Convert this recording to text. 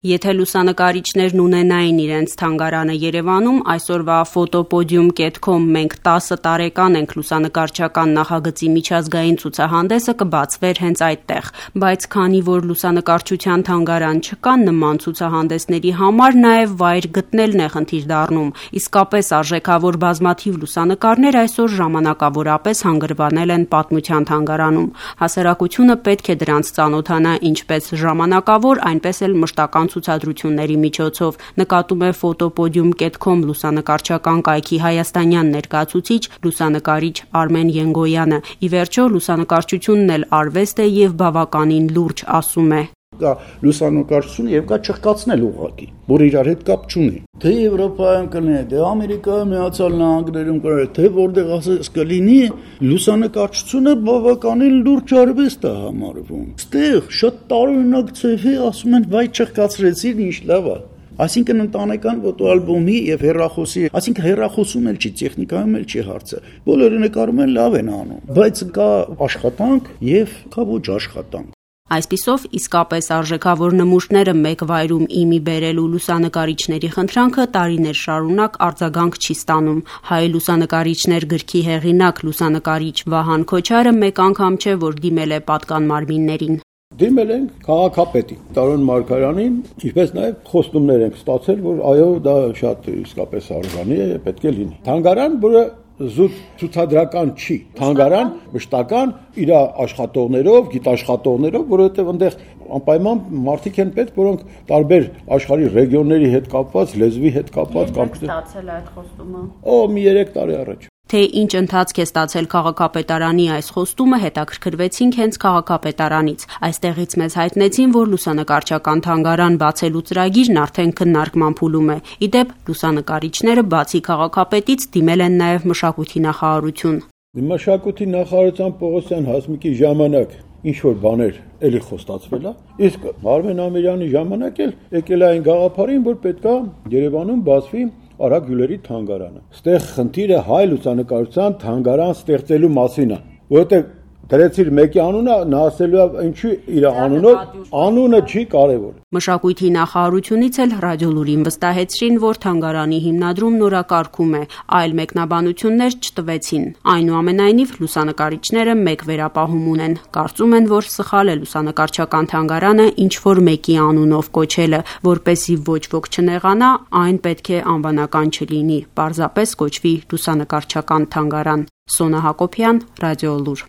Եթե լուսանկարիչներն ունենային իրենց թանգարանը Երևանում, այսօրվա Ֆոտոպոդիում.com մենք 10 տարեկան ենք լուսանկարչական նախագծի միջազգային ցուցահանդեսը կբացվեր հենց այդտեղ, բայց քանի որ լուսանկարչության թանգարան չկա, նման ցուցահանդեսների համար նաև վայր գտնելն է խնդիր դառնում, իսկապես արժեքավոր բազմաթիվ լուսանկարներ այսօր ժամանակավորապես հանգրվանել են պատմության թանգարանում, հասարակությունը պետք է դրանց ծանոթանա ինչպես ժամանակավոր, այնպես էլ մշտական ցուցադրությունների միջոցով, նկատում է Ֆոտոպոդիում.com լուսանկարչական կայքի հայաստանյան ներկայացուցիչ լուսանկարիչ Արմեն Ենգոյանը։ Ի վերջո լուսանկարչությունն էլ արվեստ է եւ բավականին լուրջ, ասում է. Կա լուսանկարչություն եւ կա չխկացնել ուղղակի, որ իրար հետ կապ չունի։ Թե Եվրոպայում կլինի, թե Ամերիկայում, Միացյալ Նահանգներում կլինի, թե որտեղ ասես կլինի, լուսանկարչությունը բավականին լուրջ արվեստ է համարվում։ Ստեղ շատ տարօրինակ ցեվի ասում են, վայ չխկացրեցին, ինչ լավ է։ Այսինքն ընտանեկան ֆոտոալբոմի եւ հեռախոսի, այսինքն հեռախոսում էլ չի, տեխնիկայում էլ չի հարցը։ Բոլորը նկարում են, լավ են անում, բայց կա աշխատանք եւ կա ոչ աշխատանք։ Այսպիսով, իսկապես արժեքավոր նմուշները մեկ վայրում իմի բերելու լուսանկարիչների խնդրանքը տարիներ շարունակ արձագանք չի ստանում։ Հայ լուսանկարիչներ գրքի հեղինակ լուսանկարիչ Վահան Քոչարը մեկ անգամ չէ, որ դիմել է պատկան մարմիններին։ Դիմել ենք քաղաքապետին Տարոն Մարգարյանին, ինչպես նաև խոստումներ ենք ստացել, որ այո, դա շատ իսկապես արժանի է, պետք է լինի։ Թանգարան, որը զուտ ցուցադրական չի, թանգարան մշտական իր աշխատողներով, գիտաշխատողներով, որովհետև այնտեղ անպայման մարդիկ են պետք, որոնք տարբեր աշխարհի ռեգիոնների հետ կապված, լեզվի հետ կապված կամ ստացել այդ խոստումը։ Մի 3 տարի առաջ։ Թե ինչ ընթացք է ստացել քաղաքապետարանի այս խոստումը, հետաքրքրվեցինք հենց քաղաքապետարանից։ Այստեղից մեզ հայտնեցին, որ լուսանկարչական թանգարան բացելու ծրագիրն արդեն քննարկման փուլում է։ Ի դեպ, լուսանկարիչները բացի քաղաքապետից դիմել են նաև մշակույթի նախարարություն։ Մշակույթի նախարարության Պողոսյան Հասմիկի ժամանակ ինչ-որ բաներ էլի խոստացվել է, իսկ Արմեն Ամիրյանի ժամանակ էլ եկել է այն գաղափարին, որ պետքա Երևանում բացվի Արա Գյուլերի թանգարանը։ Ստեղ խնդիրը հայ լուսանկարչության թանգարան ստեղծելու մասին է, որովհետև դրեցիր մեկի անունը, նա ասելու է ինչու իր անունը չի կարևոր։ Մշակույթի նախարարությունից էլ ռադիոլուրին վստահեցրին, որ թանգարանի հիմնադրումն օրակարգում է, այլ մեկնաբանություններ չտվեցին։ Այնուամենայնիվ լուսանկարիչները մեկ վերապահում ունեն, կարծում են, որ սխալ է լուսանկարչական թանգարանը ինչ-որ մեկի անունով կոչելը, որպեսզի ոչ ոք չնեղանա, այն պետք է անվանական չլինի, պարզապես կոչվի լուսանկարչական թանգարան։ Սոնա Հակոբյան, Ռադիոլուր։